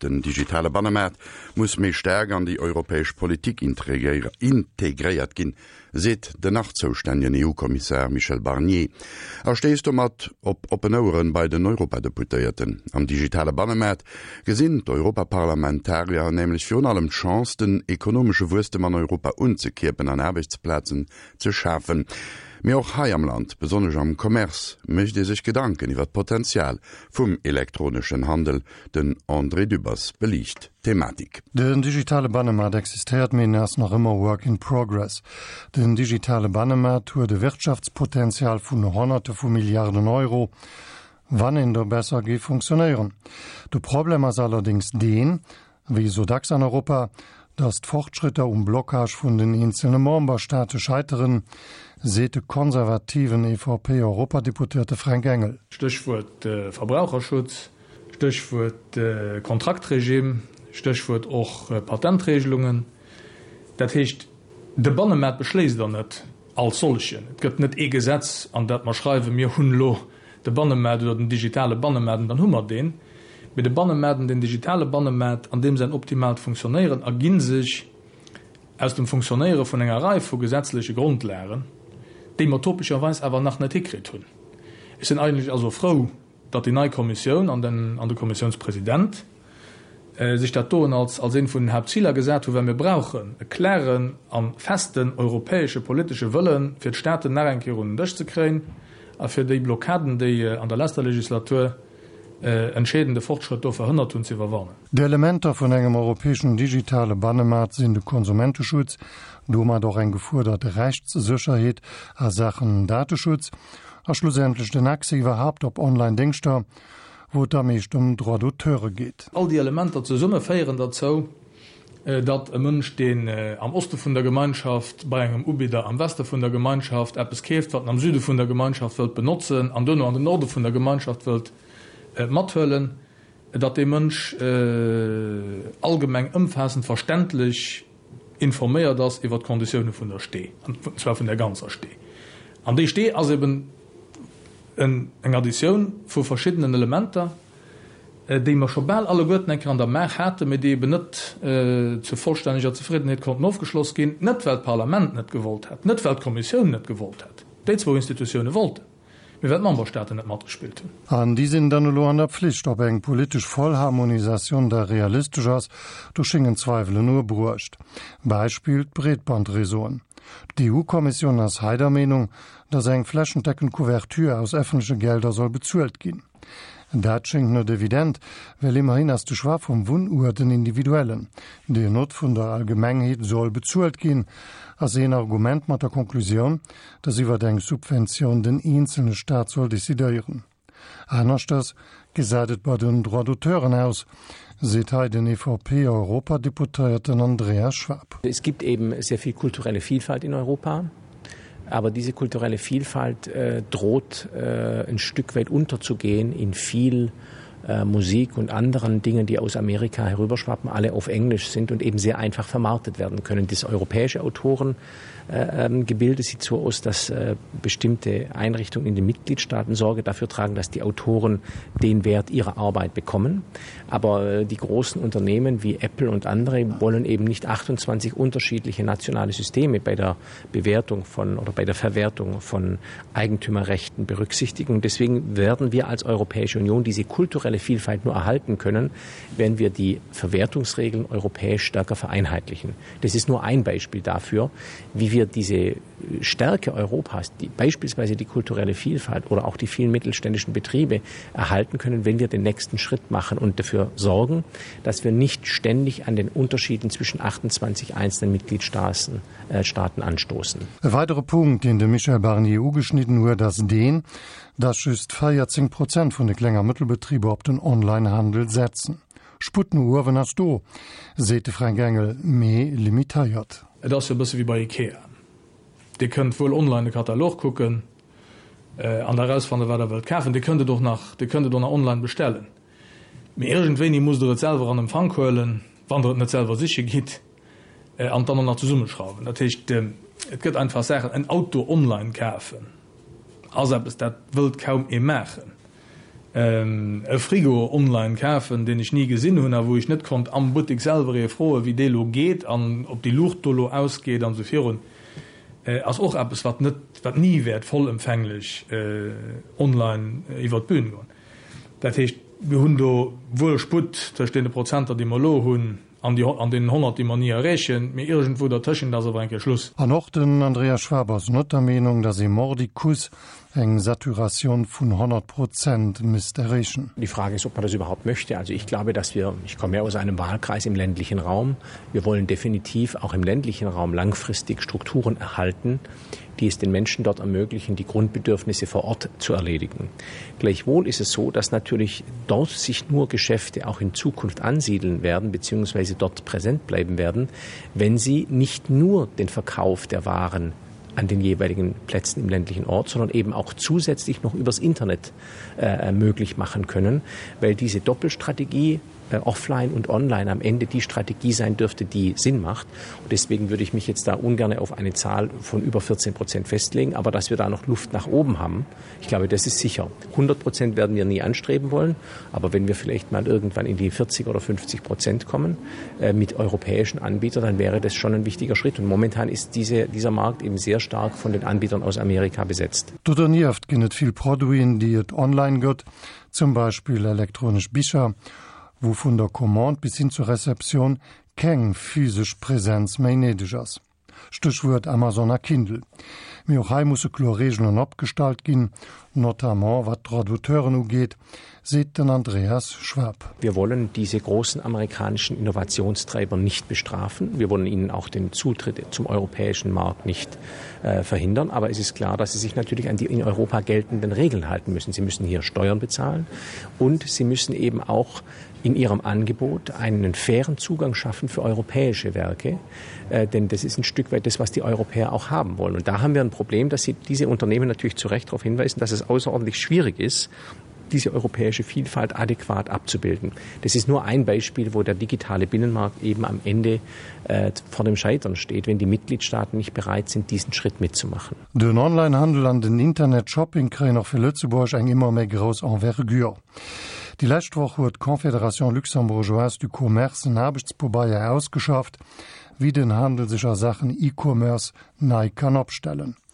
Den digitale Bannemaart muss méi staark an déi europäesch Politik integréiert ginn, seet den nach zoustännegen EU-Kommissar Michel Barnier a stéisst domat op oppen Oueren bei den Europadeputéierten. Am digitale Bannemaart gesinn d'Europaparlamentarier nämlech virun allem d'Chance, den ekonomesche Wuesstem an Europa unzekierpen an Aarbechtsplazen ze schafen. Mee och hei am Land, besonnesch am Commerce, mécht ee sech Gedanken iwwer d'Potenzial vum elektroneschen Handel. Den André Dübbers beliicht d'Thematik. Den digitale Bannemaart existéiert, mee en ass nach ëmmer work in progress. Den digitale Bannemaart huet e Wirtschaftspotenzial vun Honnerte vu Milliarden Euro, wann en da besser géif funktionéieren. De Problem ass allerdéngs deen, wéi esou dacks an Europa, datt d'Fortschrëtter um Blockage vun den eenzelne Memberstaate scheiteren, seet de konservativen EVP-Europadeputéierte Fränk Engel. Stéchwuert Verbraucherschutz, Stéchwuert Kontraktregime, Stéchwuert och Patentregelungen. Dat heescht, de Bannemaart beschléisst Der net als solchen. Et gëtt net ee Gesetz, an dat mer schreiwen, mir hunn elo de Bannemaart oder den digitale Bannemaart an dann hu mer deen. Mee de Bannemaart an den digitale Bannemaart an deem säin optimaalt Funktionéieren ergi sech aus dem Funktionéiere vun enger Rei vu gesetzleche Grondlagen, déi mer topescherweis awer nach net hikritt hunn. Ech sinn eigentlech also frou, datt déi nei Kommissioun an den an de Kommissiounspresident sech dat doen als als eent vun den Haaptziler gesat hunn, well mir brauchen e klaren a festen europäesche politesche Wëllen, fir d'Staaten nach eng Kéier un den Dësch ze kréien a fir déi Blockaden, déi an der leschter Legislatur entscheedende Fortschrëtt do verhënnert hunn, ze iwwerwannen. D'Elementer vun engem europäeschen digitale Bannemaart sinn de Konsumenteschutz, domat och eng gefuerdert Rechtssécherheet a Saachen Dateschutz, A schlussendlech den Accès iwwerhaapt op Online-Déngschter, wou et am meescht ëm Droits d'auteure geet. All déi Elementer zesumme féieren derzou, datt e Mënsch, deen am Oste vun der Gemeinschaft bei engem Ubidder am Weste vun der Gemeinschaft eppes keeft, wat en am Süde vun der Gemeinschaft wëllt benotzen an duerno an den Norde vun der Gemeinschaft wëllt mathuelen, datt dee Mënsch allgemeng ëmfaassend verständlech informéiert ass iwwert d'Konditioune vun der Stee, an zwar vun der ganzer Stee. An déi Stee ass eben eng Additioun vu verschiddenen Elementer, déi mer scho bal alleguerten eng Kéier an der Maach haten, mee déi eben net zur vollstänneger Zefriddenheet konnten ofgeschloss ginn, net well d'Parlament net gewollt hätt, net well d'Kommissioun net gewollt hätt, déi zwou Institutioune wollten, mee well d'Memberstaaten net matgespillt hunn. An déi sinn dann elo an der Pflicht. Ob eng politesch Vollharmonisatioun da realistesch ass, do schéngen Zweiwelen uebruecht. Beispill, d'Breetbandreseauen. D'EU-Kommissioun ass hei der Meenung, datt eng flächendeckend Couverture aus effentleche Gelder soll bezuelt ginn. Dat schéngt net evident, well ëmmerhin ass de Choix vum Wunnuert en individuellen, deen not vun der Allgemengheet soll bezuelt ginn, ass een Argument mat der Konklusioun, datt iwwert eng Subventioun den eenzelne Staat soll decidéieren. Aneschters gesäit et bei den Droits d'auteuren aus, seet hei den EVP-Europadeputéierten Andreas Schwab. Es gibt eben sehr viel kulturelle Vielfalt in Europa. Aber diese kulturelle Vielfalt äh, droht äh, ein Stück weit unterzugehen in viel äh, Musik und anderen Dingen, die aus Amerika herüberschwappen, alle auf Englisch sind und eben sehr einfach vermarktet werden können. Das europäische Autorengebilde äh, ähm, sieht so aus, dass äh, bestimmte Einrichtungen in den Mitgliedstaaten Sorge dafür tragen, dass die Autoren den Wert ihrer Arbeit bekommen. Aber äh, die großen Unternehmen wie Apple und andere wollen eben nicht 28 unterschiedliche nationale Systeme bei der Bewertung von oder bei der Verwertung von Eigentümerrechten berücksichtigen. Deswegen werden wir als Europäische Union diese kulturelle Vielfalt nur erhalten können, wenn wir die Verwertungsregeln europäisch stärker vereinheitlichen. Das ist nur ein Beispiel dafür, wie wir diese Stärke Europas, die, beispielsweise die kulturelle Vielfalt oder auch die vielen mittelständischen Betriebe erhalten können, wenn wir den nächsten Schritt machen und dafür sorgen, dass wir nicht ständig an den Unterschieden zwischen 28 einzelnen Mitgliedstaaten äh, Staaten anstoßen. E weidere Punkt, deen de Michel Barnier ugeschnidden huet, ass deen, dass just 14 Prozent vun de Kleng a Mëttelbetriber op den Online-Handel setzen. Sputt no uewen ass do, seet de Fränk Engel, mee limitéiert. Et ass jo e bësse wéi bei Ikea. Dir kënnt wuel online de Katalog kucken an da erausfannen, wat Der wëllt kafen. Dir kënnt et och nach, Dir kënnt et och nach online bestellen. Mee iergendwéini musst Der et selwer an Empfank huelen, wann Der et net selwer siche gitt, an et dann och nach zesummeschrauwen. Dat heescht, et gëtt einfach Saachen, en Auto online kafen ass eppes, dat wëllt kaum ee maachen. E Frigo online kafen, deen ech ni gesinn hunn a wou ech net konnt am Buttek selwer ee froen, wéi dee lo geet an ob déi Luucht do lo ausgeet an esou virun, ass och eppes, wat net, wat ni wäert vollëmfänglech online iwwert d'Bün goen. Dat heescht, mir hunn do wuel Sputt tëscht deene Prozenter, déi mer elo hunn, An déi an deenen 100, déi mer ni erreechen, mee iergendwou dertëschent ass awer eng Kéier Schluss. An och den Andreas Schwab ass net der Meenung, datt ee mordicus eng Saturatioun vun 100 Prozent misst erreechen. Die Frage ist, ob man das überhaupt möchte. Also ich glaube, dass wir, ich komme ja aus einem Wahlkreis im ländlichen Raum, wir wollen definitiv auch im ländlichen Raum langfristig Strukturen erhalten, die es den Menschen dort ermöglichen, die Grundbedürfnisse vor Ort zu erledigen. Gleichwohl ist es so, dass natürlich dort sich nur Geschäfte auch in Zukunft ansiedeln werden bzw. dort präsent bleiben werden, wenn sie nicht nur den Verkauf der Waren an den jeweiligen Plätzen im ländlichen Ort, sondern eben auch zusätzlich noch übers Internet äh, möglich machen können, weil diese Doppelstrategie äh, offline und online am Ende die Strategie sein dürfte, die Sinn macht. Und deswegen würde ich mich jetzt da ungern auf eine Zahl von über 14 Prozent festlegen, aber dass wir da noch Luft nach oben haben, ich glaube, das ist sicher. 100 Prozent werden wir nie anstreben wollen, aber wenn wir vielleicht mal irgendwann in die 40 oder 50 Prozent kommen äh, mit europäischen Anbietern, dann wäre das schon ein wichtiger Schritt. Und momentan ist diese, dieser Markt eben sehr stark von den Anbietern aus Amerika besetzt. Do donieft ginn et vill Produiten, déi et online gëtt, zum Beispill elektronesch Bicher, wou vun der Commande bis hin zur Receptioun keng physesch Presenz méi néideg ass. Stéchwuert Amazon a Kindle. Mee och hei musse kloer Reegelen opgestallt ginn, notamment wat d'Droits d'auteuren ugeet, seet den Andreas Schwab. Wir wollen diese großen amerikanischen Innovationstreiber nicht bestrafen. Wir wollen ihnen auch den Zutritt zum europäischen Markt nicht äh, verhindern. Aber es ist klar, dass sie sich natürlich an die in Europa geltenden Regeln halten müssen. Sie müssen hier Steuern bezahlen und sie müssen eben auch in ihrem Angebot einen fairen Zugang schaffen für europäische Werke. Äh, denn das ist ein Stück weit das, was die Europäer auch haben wollen. Und da haben wir ein Problem, dass sie diese Unternehmen natürlich zu Recht darauf hinweisen, dass es außerordentlich schwierig ist, diese europäische Vielfalt adäquat abzubilden. Das ist nur ein Beispiel, wo der digitale Binnenmarkt eben am Ende äh, vor dem Scheitern steht, wenn die Mitgliedstaaten nicht bereit sind, diesen Schritt mitzumachen. Den Onlinehandel an den Internetshopping kréien och fir Lëtzebuerg eng ëmmer méi grouss Envergure. Déi lescht Woch huet d'Confédération luxembourgeoise du commerce en Aarbechtspobeier ausgeschafft, wéi den Handel sech a Saachen E-Commerce nei kann opstellen.